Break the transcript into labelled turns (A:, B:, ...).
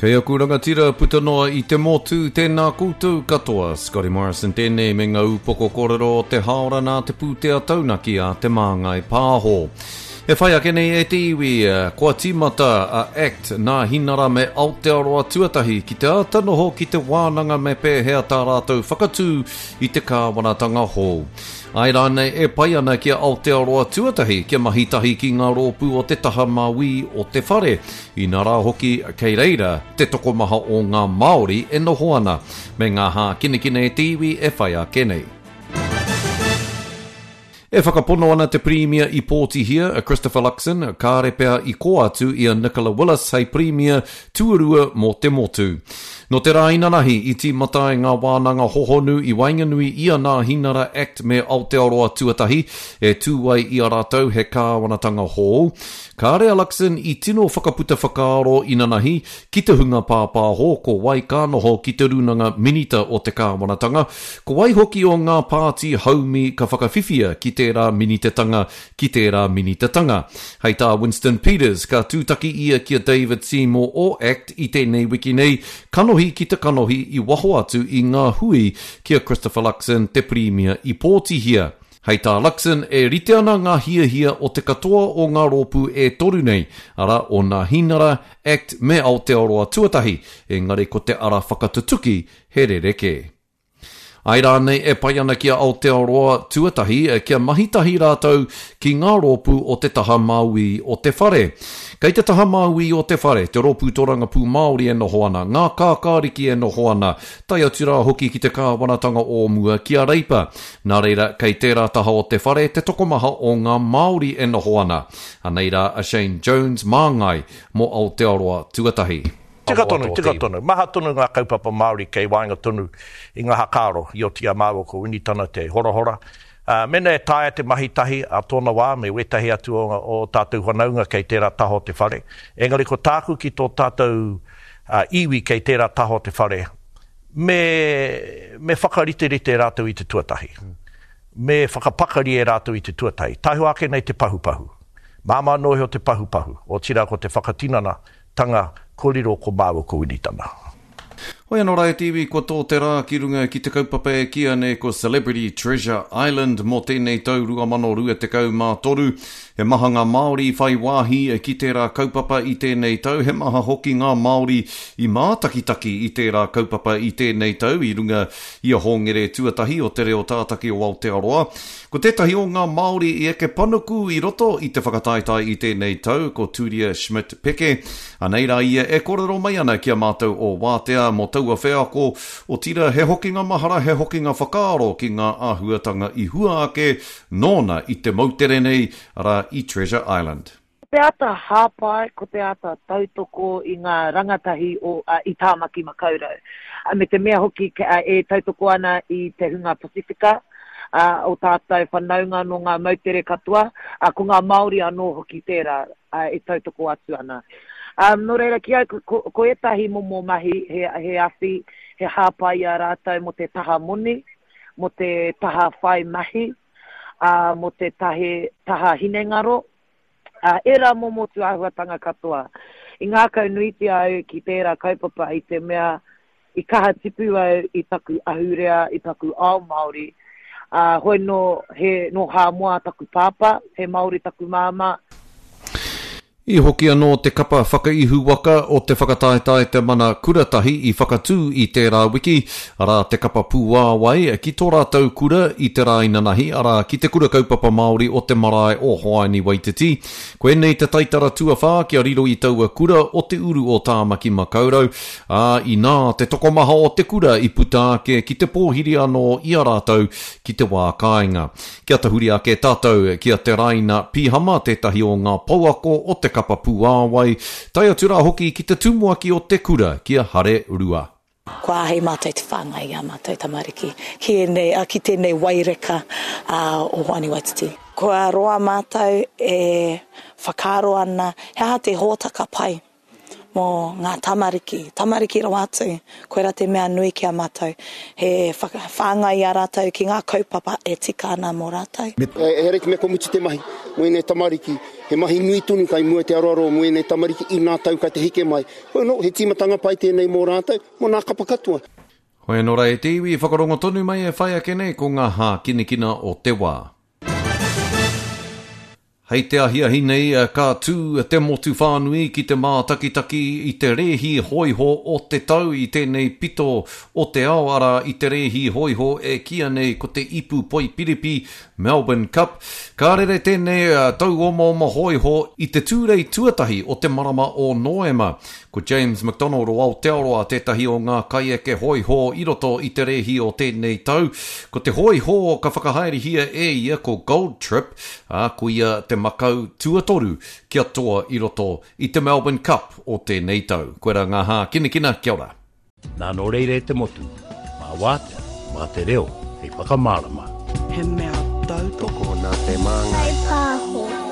A: Kei aku rangatira puta noa i te motu, tēnā koutou katoa. Scotty Morrison tēnei me ngā upoko kōrero o te hāora nā te pūtea taunaki a Te Māngai Pāho. E whai ake nei e te iwi, kua tīmata a act nā Hinara me Aotearoa tuatahi ki te āta noho ki te wānanga me pēhea tā rātou whakatū i te kāwanatanga hou. Āe rānei e pai ana ki a Aotearoa tuatahi kia mahi tahi ki ngā rōpū o te taha mauī o te whare, inā rā hoki kei reira te tokomaha o ngā Māori e noho ana, me ngā hākinakina e te iwi e whai ake nei. E whakapono ana te Pirimia i pōtihia, a Christopher Luxon, kāre pea i kō atu i a Nicola Willis hei Pirimia tuarua mō te motu. Nō te rā inanahi i tīmata ai ngā wānanga hohonu i waenganui i a Nāhinara Act me Aotearoa Tuatahi e tū ai i a rātou he kāwanatanga hou. Kāre a Luxon i tino whakaputa whakaaro inanahi ki te hunga pāpāho ko wai ka noho ki te Rūnanga Minita o te Kāwanatanga, ko wai hoki o ngā pāti haumi ka whakawhiwhia ki tērā minitatanga, ki tērā minitatanga. Hei tā Winston Peters, ka tūtaki ia ki a David Seymour o act i tēnei wiki nei, kanohi ki te kanohi i waho atu i ngā hui ki a Christopher Luxon, te Pirimia i pōtihia. Hei tā Luxon, e rite ana ngā hiahia o te katoa o ngā rōpū e toru nei, arā, o Nāhinara, act me Aotearoa Tuatahi, engari ko te ara whakatutuki he rerekē. Āe rānei e pai ana ki a Aotearoa Tuatahi kia mahi tahi rātou ki ngā rōpū o te taha mauī o te whare. Kei te taha mauī o te whare te Rōpū Torangapū Māori e noho ana, ngā kākāriki e noho ana, tae atu rā hoki ki te kāwanatanga o mua ki a Reipa. Nā reira, kei tērā taha o te whare te tokomaha o ngā Māori e noho ana. Anei rā a Shane Jones māngai mō Aotearoa Tuatahi.
B: Tika tonu, tika tonu. Maha tonu ngā kaupapa Māori kei waenga tonu i ngā hakaaro i oti i a māua ko Winitana te horahora. Mēnā e taea te mahi tahi a tōna wā me wētahi atu o ō tātou whanaunga kei tērā taha o te whare. Engari ko tāku ki tō tātou iwi kei tērā taha o te whare, me, me whakariterite rātou i te tuatahi. Me whakapakari e rātou i te tuatahi. Tahu ake nei te pahupahu. Māmā noa iho te pahupahu, otirā ko te whakatinana tanga kua riro ko māua ko Winitana.
A: Hoi anō rā e te iwi, kua tō te rā ki runga ki te kaupapa e kīia nei ko Celebrity Treasure Island mō tēnei tau 2023. He maha ngā Māori i whai wāhi ki tērā kaupapa i tēnei tau, he maha hoki ngā Māori i mātakitaki i tērā kaupapa i tēnei tau i runga i a Hōngere Tuatahi o Te Reo Tātaki o Aotearoa. Ko tētahi o ngā Māori i eke panuku i roto i te whakataetae i tēnei tau ko Turia Schmidt Peke. Anei rā ia e kōrero mai ana ki a mātou o Wātea mō taua wheako, otirā he hokinga mahara, he hokinga whakaaro ki ngā āhuatanga i hua ake nōna i te moutere nei, arā, i Treasure Island.
C: Ko te ata hāpai, ko te ata tautoko i ngā rangatahi o, i Tāmaki Makaurau. Me te mea hoki e tautoko ana i te hunga Pasifika, o tātou whanaunga nō ngā moutere katoa, ko ngā Māori anō hoki tērā e tautoko atu ana. Nō reira, ki au, ko, ko ētahi momo mahi he, he awhi, he hāpai i a rātou mō te taha moni, mō te taha whai mahi, ā, mō te tahe, taha hinengaro, ā, ērā momo tūāhuatanga katoa. I ngākau nuitia au ki tērā kaupapa i te mea i kaha tipu au i taku ahurea, i taku ao Māori, ā, hoi nō, he, nō Hāmoa taku pāpā, he Māori taku māmā.
A: I hoki anō te kapa whakaihuwaka o te whakataetae Te Mana Kuratahi i whakatū i tērā wiki, arā te kapa Pūāwai, ki tō rātou kura i te rā inanahi, arā, ki Te Kura Kaupapa Māori o te marae o Hoani Waititi. Koinei te taitara tuawhā kia riro i taua kura o te uru o Tāmaki Makaurau, ā, inā te tokomaha o te kura i puta ake ki te pōhiri anō i a rātou ki te wā kāinga. Kia tahuri ake tātou ki a Te Raina Pihama, tētahi o ngā pouako o te kapa Puāwai, tae atu rā hoki ki te tumuaki o te kura, ki a Hare Rua.
D: Kua āhei mātou te whāngai i ā mātou tamariki ki ēnei, ki tēnei waireka o Hoani Waititi. Kua roa mātou e whakaaro ana he aha te hōtaka pai. Mō ngā tamariki, tamariki rawa atu, koirā te mea nui ki a mātou, he whāngai i a rātou ki ngā kaupapa e tika ana mō rātou.
E: Ehara i te mea kua mutu te mahi mō ēnei tamariki, he mahi nui tonu kai mua i te aroaro mō ēnei tamariki inā tau kai te heke mai. Hoi anō, he tīmatanga pai tēnei mō rātou, mō nā kapa katoa.
A: Hoi anō rā e te iwi, whakarongo tonu mai e whai ake nei ko ngā hākinakina o te wā. Hei te ahiahi nei ka tū te motu whānui ki te mātakitaki i te rēhi hōiho o te tau i tēnei pito o te ao, arā, i te rēhi hōiho e kīia nei ko te Ipu Poipiripi, Melbourne Cup. Ka rere tēnei tauomaoma hōiho i te Tūrei tuatahi o te marama o Noema. Ko James McDonald o Aotearoa tētahi o ngā kaieke hōiho i roto i te rēhi o tēnei tau. Ko te hōiho ka whakahaerehia e ia ko Gold Trip, ā, ko ia te makau tuatoru kia toa i roto i te Melbourne Cup o tēnei tau. Koirā ngā hākinakina, kia ora.
B: Nā nō reira e te motu, mā wātea, mā te reo hei whakamārama.
F: He mea tautoko.
G: Tokona te māngai.
H: Whai pāho.